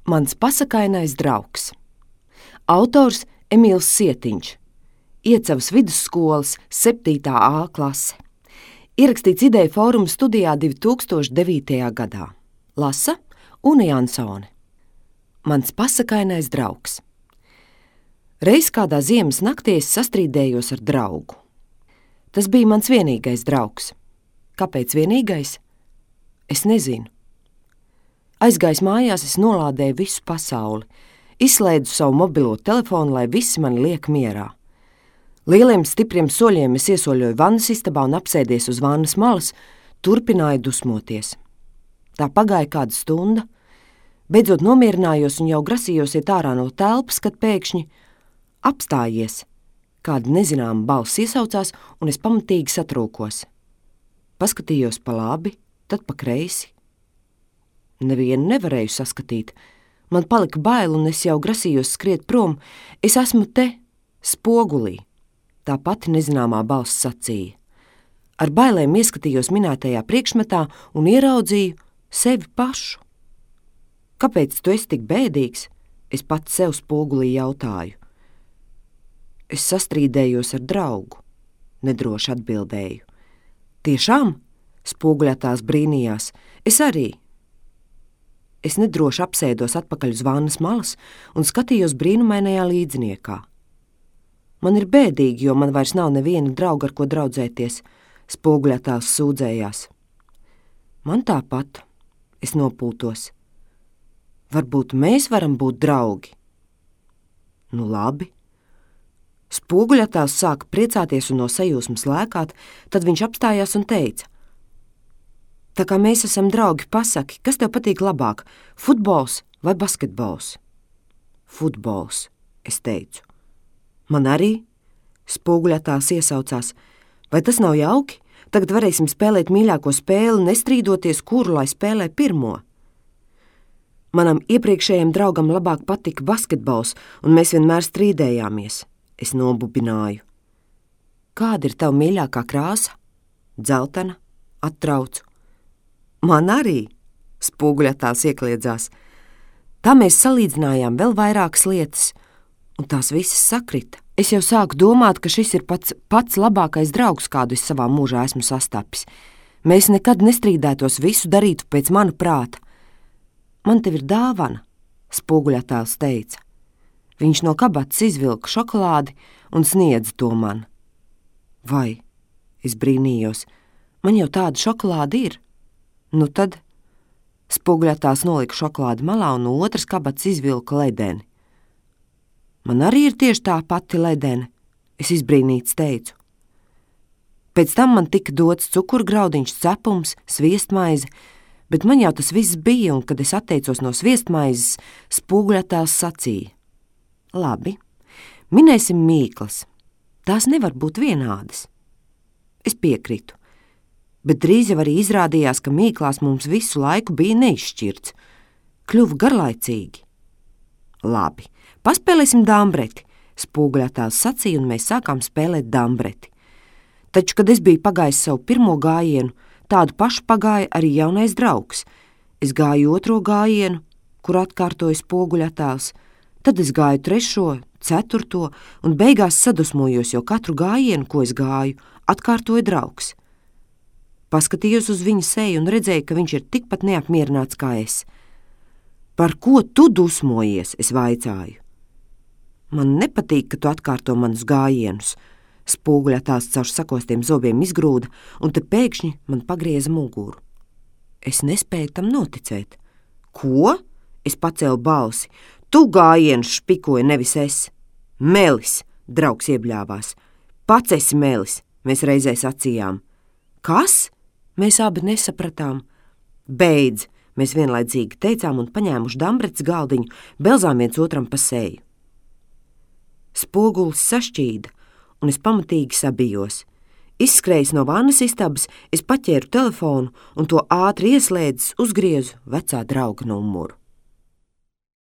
Mans pasakainais draugs. Autors Emīls Sietiņš. Iecavas vidusskolas 7. A klase. Ierakstīts Ideju fóruma studijā 2009. gadā. Lasa Une Jansone. Mans pasakainais draugs. Reiz kādā ziemas naktī es sastrīdējos ar draugu. Tas bija mans vienīgais draugs. Kāpēc vienīgais? Es nezinu. Aizgājis mājās, es nolādēju visu pasauli, izslēdzu savu mobilo telefonu, lai visi mani liek mierā. Lieliem stipriem soļiem es iesoļoju vannas istabā un apsēdies uz vannas malas, turpināju dusmoties. Tā pagāja kāda stunda, beidzot nomierinājos un jau grasījos iet ārā no telpas, kad pēkšņi apstājies. Kāda nezināma balss iesaucās, un es pamatīgi satrūkos. Paskatījos pa labi, tad pa kreisi. Nevienu nevarēju saskatīt. Man palika bail, un es jau grasījos skriet prom. Es esmu te, spogulī. Tā pati nezināmā balss sacīja. Ar bailēm ieskatījos minētajā priekšmetā un ieraudzīju sevi pašu. Kāpēc tu esi tik bēdīgs? Es pats sev spogulī jautāju. Es sastrīdējos ar draugu, nedroši atbildēju. Tiešām? Spoguļā tās brīnījās. Es arī. Es nedroši apsēdos atpakaļ uz vannas malas un skatījos brīnumainajā līdzniekā. Man ir bēdīgi, jo man vairs nav neviena drauga, ar ko draudzēties, spoguļā tās sūdzējās. Man tāpat, es nopūtos. Varbūt mēs varam būt draugi? Nu labi. Spoguļatās sāka priecāties un no sajūsmas lēkāt, tad viņš apstājās un teica: Tā kā mēs esam draugi, pasaki, kas tev patīk labāk, futbols vai basketbols? Futbols, es teicu. Man arī, spoguļatās iesaucās. Vai tas nav jauki? Tagad varēsim spēlēt mīļāko spēli, nestrīdoties, kuru lai spēlē pirmo. Manam iepriekšējiem draugam labāk patika basketbols, un mēs vienmēr strīdējāmies. Es nobubināju. Kāda ir tava mīļākā krāsa? Dzeltena, attraucu. Man arī, spoguļatās iekliedzās. Tā mēs salīdzinājām vēl vairākas lietas, un tās visas sakrita. Es jau sāku domāt, ka šis ir pats labākais draugs, kādu es savā mūžā esmu sastapis. Mēs nekad nestrīdētos, visu darītu pēc mana prāta. Man tev ir dāvana, spoguļatās teica. Viņš no kabatas izvilka šokolādi un sniedza to man. Vai, es brīnījos, man jau tāda šokolāde ir. Nu tad spoguļatās nolika šokolādi malā un no otras kabatas izvilka ledeni. Man arī ir tieši tā pati ledene, es izbrīnīts teicu. Pēc tam man tika dots cukurgraudiņš, cepums, sviestmaize, bet man jau tas viss bija, un kad es atteicos no sviestmaizes, spoguļatās sacīja. Labi, minēsim mīklas. Tās nevar būt vienādas. Es piekritu, bet drīz jau arī izrādījās, ka mīklās mums visu laiku bija neizšķirts. Kļuva garlaicīgi. Labi, paspēlēsim dambreti, spoguļatās sacīja, un mēs sākām spēlēt dambreti. Taču, kad es biju pagājis savu pirmo gājienu, tādu pašu pagāja arī jaunais draugs. Es gāju otro gājienu, kur atkārtoju spoguļatās. Tad es gāju 3., 4. un beigās sadusmojos, jo katru gājienu, ko es gāju, atkārtoja draugs. Paskatījos uz viņa seju un redzēju, ka viņš ir tikpat neapmierināts kā es. Par ko tu dusmojies, es vaicāju. Man nepatīk, ka tu atkārto manus gājienus, spoguļatās caur sakostiem zobiem izgrūda, un te pēkšņi man pagrieza muguru. Es nespēju tam noticēt. Ko? Es pacēlu balsi. Tu gājienus špikoji, nevis es. Melis, draugs iebļāvās. Pats esi melis, mēs reizē sacījām. Kas? Mēs abi nesapratām. Beidz, mēs vienlaicīgi teicām un paņēmuši dambrets galdiņu, belzām viens otram pa seju. Spogulis sašķīda, un es pamatīgi sabijos. Izskrējis no vannas istabas, es paķēru telefonu un to ātri ieslēdzis uzgriezu vecā drauga numuru.